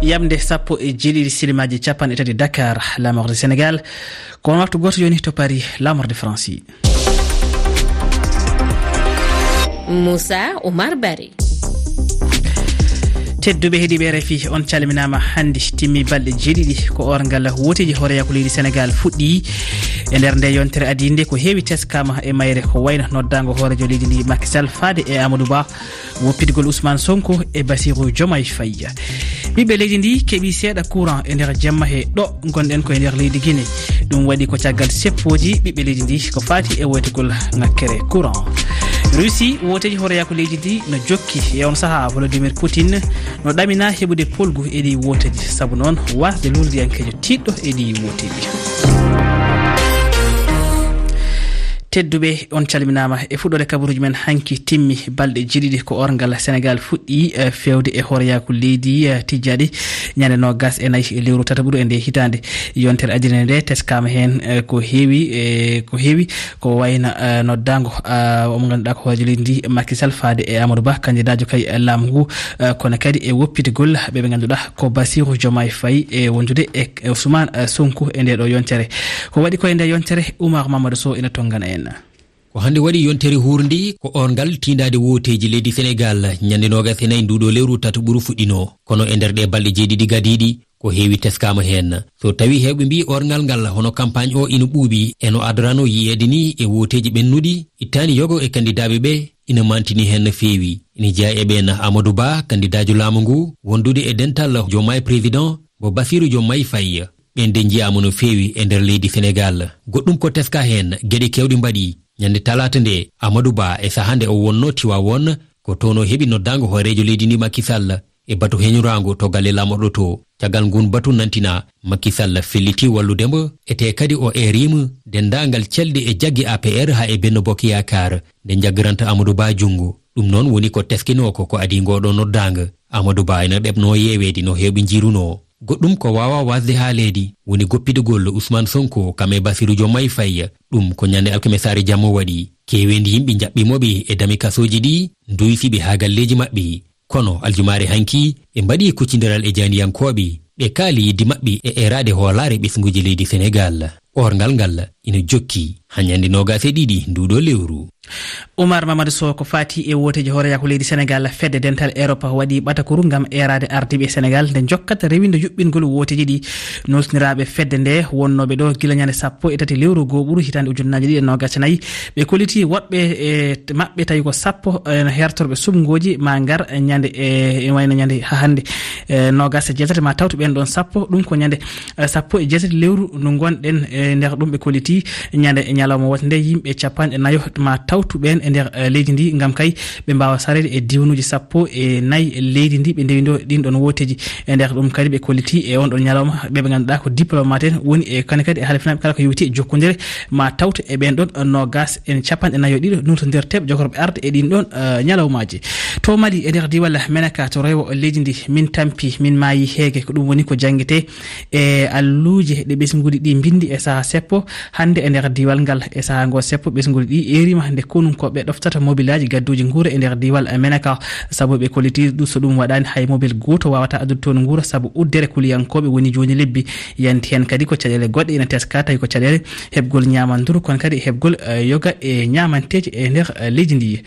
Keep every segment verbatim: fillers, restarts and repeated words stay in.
Yamde sappo e jeeɗiɗi silimaaji capanɗe tati Dakar, laamorde Senegal. Ko on waktu gooto jooni to Paris, laamorde France. Moussa Oumar Barry. Tedduɓe heɗiiɓe R F I, on calminaama. Hannde timmi balɗe jeeɗiɗi ko orngal wooteeji hooreeyaku leydi Senegal fuɗɗi. E nder nde yontere adii nde, ko heewi teskaama e mayre, ko wayno noddaango hooreejo leydi ndi Macky Sall faade e Amadou Ba, woppitgol Ousmane Sonko e Bassirou Diomaye Faye. Ɓiɓɓe leydi ndi keɓi seeɗa courant e nder jemma he ɗo ngonɗen ko e nder leydi Guinée. Ɗum waɗi ko caggal seppooji ɓiɓɓe leydi ndi ko faati e woytugol ŋakkere courant. Russie, wooteeji hooreeyaku leydi ndi no jokki. E on sahaa, Volodymyr Putin no ɗamina heɓude polgu e ɗi wooteeji. Sabu noon, wasde lurdiyankeejo tiiɗɗo e ɗi wooteeji. Tedduɓe, on calminaama. E fuɗɗoode kabaruuji men hanki, timmi balɗe jeeɗiɗi ko orngal Senegal fuɗɗi, eh, feewde e hooreeyaku leydi, eh, tijjaaɗi ñande noogas e nayi e lewru tataɓuru e nde hitaande. Yontere adii nde teskaama heen, eh, ko heewi, eh, ko heewi, ko wayno, eh, noddaango, ah, mo ngannduɗaa ko hooreejo leydi ndi, Macky Sall, faade e Amadou Ba, kandidaajo kay, eh, laamu ngu, eh, kono kadi e woppitgol ɓe ɓe ngannduɗaa ko Bassirou Diomaye Faye e wondude e, e Ousmane, eh, Sonko e nde ɗo yontere. Ko waɗi ko e nde yontere, Oumar Mamadou Sow ina tonngana en. Ko hannde waɗi yontere huurndi, ko orngal tiindaade wooteeji leydi Senegal, ñande noogas e nayi nduɗo lewru tataɓuru fuɗɗino. Kono e nder ɗe balɗe jeeɗiɗi gadiiɗi, ko heewi teskaama heen. So tawi heewɓe mbii orngal ngal, hono campagne o ina ɓuuɓi, e no adorano yiyeede ni e wooteeji ɓennuɗi, ittaani yogo e kandidaaɓe ɓe, ina mantini heen no feewi. Ina jeyaa e ɓeen Amadou Ba, kandidaajo laamu ngu, wondude e dental Diomaye Président, mo Bassirou Diomaye Faye. Ɓeen de njiyaama no feewi e nder leydi Senegal. Goɗɗum ko teska heen, geɗe keewɗe mbaɗi. Ñande talaata nde, Amadou Ba e sahaa nde o wonnoo Tiwaawoon, ko toon o heɓi noddaango hooreejo leydi ndi Macky Sall e batu heñoraango to galle laamorɗo to. Caggal ngun batu nantina, Macky Sall felliti wallude mo, etee kadi o eeriima denndaangal calɗi e jaggi A P R haa e Benno Bokk Yaakaar, nde njaggiranta Amadou Ba junngo. Ɗum noon woni ko teskinoo ko, ko adii ngoo ɗoo noddaango. Amadou Ba ina ɗeɓnoo yeeweede no heewɓe njiirunoo. Goɗɗum ko waawaa waasde haaleede woni goppitgol Ousmane Sonko kam e Bassirou Diomaye Faye. Ɗum ko ñande alkamisaare jamma waɗi. Keeweendi yimɓe njaɓɓii mo ɓe e dami kasooji ɗi, nduysi ɓe haa galleeji maɓɓe. Kono aljumaare hanki, ɓe mbaɗi kuccindiral e jaaniyankooɓe, ɓe kaali yiɗde maɓɓe e eeraade hoolaare ɓesnguuji leydi Senegal. Orngal ngal ina jokki haa ñande noogas e ɗiɗi nduɗo lewru. Oumar Mamadou Sow, ko faati e wooteeji hooreeyaku leydi Senegal, fedde dental Europe waɗi ɓatakuru ngam eeraade ardiiɓe Senegal nde jokkata rewinde yuɓɓingol wooteeji ɗi. Nulsindiraaɓe fedde nde wonnooɓe ɗo gila ñande sappo e tati lewru gooɓuru hitaande ujunnaaje ɗiɗi e noogas e nayi, ɓe kolliti woɗɓe e maɓɓe tawi ko sappo, eh, hertorɓe suɓngooji ma ngar ñande, eh, ene wayno ñande hahannde, eh, noogas e jeetati ma tawtu ɓeen ɗoon sappo. Ɗum ko ñande, eh, sappo e jeetati lewru ndu ngonɗen, eh, nder ɗum ɓe kolliti ñande ñalawma woote nde yimɓe capanɗe nayo ma tawtu ɓeen e nder, eh, leydi ndi, ngam kay ɓe mbaawa sareede e diiwanuuji sappo e nayi leydi ndi ɓe ndewindo ɗin ɗoon wooteeji. E nder ɗum kadi ɓe kolliti e on ɗon ñalawma ɓe ɓe ngannduɗaa ko diplomate en woni e kane kadi e halfinaaɓe kala ko yowiti e jokkondire ma tawte e ɓeen ɗon noogas en capanɗe nayo ɗiɗo nultondirteeɓe jokorɓe arde e ɗin ɗon, eh, ñalawmaaji. To Mali, e nder diiwal Menaka to rewo leydi ndi, min tampi, min maayi heege, ko ɗum woni ko janngete e alluuje ɗe ɓesnguuji ɗi mbinndi e saha seppo. Hannde e nder diiwal ngal e saha ngo seppo ɓesnguuji ɗi eeriima nde konunkooɓe ɗoftata mobilaaji gadduuji nguura e nder diiwal Menaka. Sabu ɓe kolliti ɗum, so ɗum waɗaani hay mobil gooto waawata addude toon nguura sabu uddere kuliyankooɓe woni jooni lebbi. Yanti heen kadi ko caɗeele goɗɗe ina teska, tawi ko caɗeele heɓgol ñaamanduru, kono kadi heɓgol, eh, yoga e ñaamanteeji e nder, eh, leydi ndi.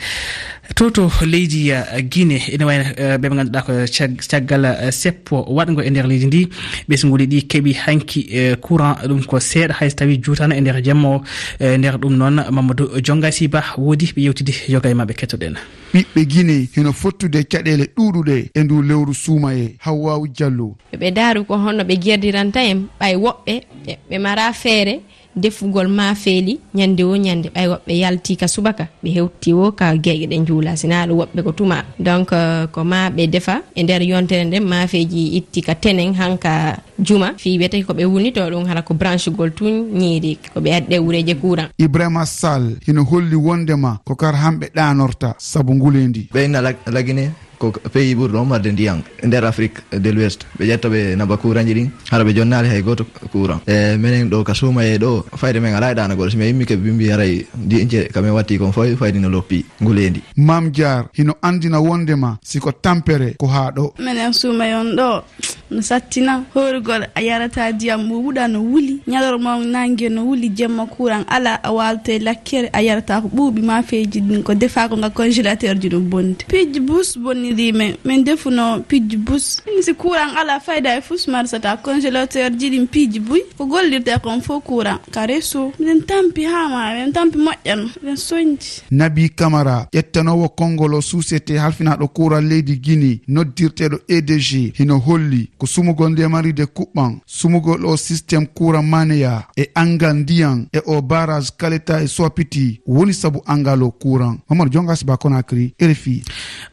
To, to leydi, eh, Guinée, ene wayno, eh, ɓe ɓe ngannduɗaa ko cag-, caggal, eh, seppo waɗngo e nder leydi ndi, ɓesnguuji ɗi keɓi hanki, eh, courant, ɗum ko seeɗa hay so tawi juutano e nder jamma o. Eh, nder ɗum noon, Mamadou Diongasi Ba woodi ɓe yewtidi yoga e maɓɓe, kettoɗen. Ɓiɓɓe Guinée hino fottude caɗeele ɗuuɗuɗe e ndu lewru suumayee. Hawwaawu Jallo. Ɓe daaru ko honno ɓe jerdiranta en, ɓay woɓɓe ɓe, ɓe mara feere defugol maafeeli ñande wo ñande, ɓay woɓɓe yalti ka subaka, ɓe hewti wo ka geeƴe ɗe njuula, sinaa ɗum woɓɓe ko tuma. Donc, euh, ko ma ɓe defa e nder yontere nden, maafeeji itti ka tenen hanka juma, fii wiyete ko ɓe wulnito ɗum hara ko branchegol tun ñiiri, ko ɓe addi ɗe wureeje courant. Ibrahima Sall hino holli wondema ko kar hamɓe ɗaanorta sabu nguleendi. Ɓe inna lag-, lagine. Ko pays ɓurɗo ummarde ndiyan nder Afrique de l'Ouest. Ɓe ƴetta ɓe naba kuranji ɗin, hara ɓe jonnaali hay gooto kuran. E menen ɗo ka Suumayee ɗo, fayde men alaa e ɗaanagol. Si mi immike ɓe mbi haray diince ka men watti kon foy, fayde no loppi ngu leendi. Maam Jaar hino anndina wondema si ko tampere ko haa ɗo. Menen Suumayee on ɗo no sattina horugol, a yarata diyam ɓuuɓuɗa no wuli, ñalorma on nange no wuli, jemma kuran alaa, a waalta e lakkere, a yarata ko ɓuuɓi ma feeji ɗin ko defaa ko nga congélateur ji no bonde. Piiji bus bonniri men, min defuno piiji bus. Min si kuran alaa fayda e fus marsata congélateur ji ɗin piiji buy, ko gollirte kon fof kuran. Ka reso, miɗen tampi haa ma, miɗen tampi moƴƴano, miɗen soñji. Nabi Kamara, ƴettanoowo konngol o suusete halfinaaɗo kuran leydi Gini, noddirteeɗo E D G, hino holli ko sumugol nde maride kuɓɓan, sumugol o système kuran maneya e angal ndiyan e o barrage Kaleta e Soapiti woni sabu angal o kuran. Mamadou Jonga Siba, Conakry, R F I.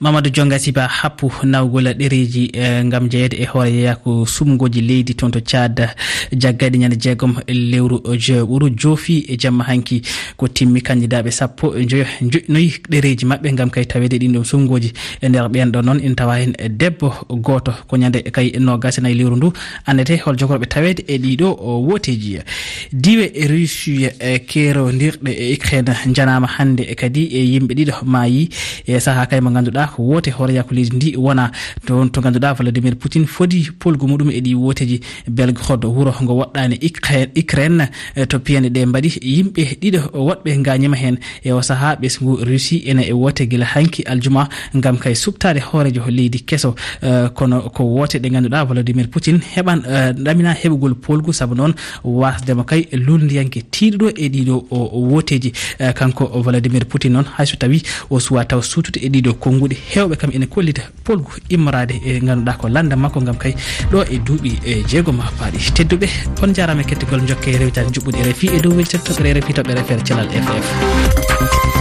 Mamadou Jonga Siba, happu nawgol ɗereeji, eh, ngam jeyeede e hoore yeeya ko sumgooji leydi toon to Tchad, jaggaade ñande jeegom lewru, eh, je-, ɓuru joofi e jamma hanki. Ko timmi kandidaaɓe sappo e njoyo njoƴƴinoyi ɗereeji maɓɓe ngam kay taweede ɗin ɗon sumgooji. E nder ɓeen ɗon noon ina tawa heen debbo gooto. Ko ñande kay noogas e nayi lewru ndu anndete hol jogorɓe taweede e ɗiɗo o wooteeji. Diiwe Russie e keerondirɗe e Ukraine njanaama hannde e kadi e yimɓe ɗiɗo maayi e sahaa kay mo ngannduɗaa ko woote hooreyaaku leydi ndi wona toon to ngannduɗaa Vladimir Putin fodi polgu muɗum e ɗi wooteeji. Belgorod, wuro ngo woɗɗaani Ukra-, Ukraine, eh, to piyanɗe ɗe mbaɗi yimɓe ɗiɗo woɗɓe ngaañima heen. E o sahaa ɓesngu Russie ene e woote gila hanki aljuma ngam kay suɓtaade hooreejo leydi keso, eh, kono ko woote ɗe ngannduɗaa Vladimir Putin heɓan, eh, ɗamina heɓugol polgu, sabu noon wasde mo kay lulndiyanke tiiɗuɗo e ɗiɗo o, o wooteeji. Eh, kanko Vladimir Putin noon, hay so tawi o suwa taw suutude e ɗiɗo konnguɗi, heewɓe kam ene kollita polgu immoraade e ngannduɗaa ko lannda makko ngam kay ɗo e duuɓi e jeegom paaɗi. Tedduɓe, on njaaraama e kettagol jokke rewitaade njuɓɓudi R F I e dow weltere toɓɓere R F I, toɓɓere F R Cellal F F.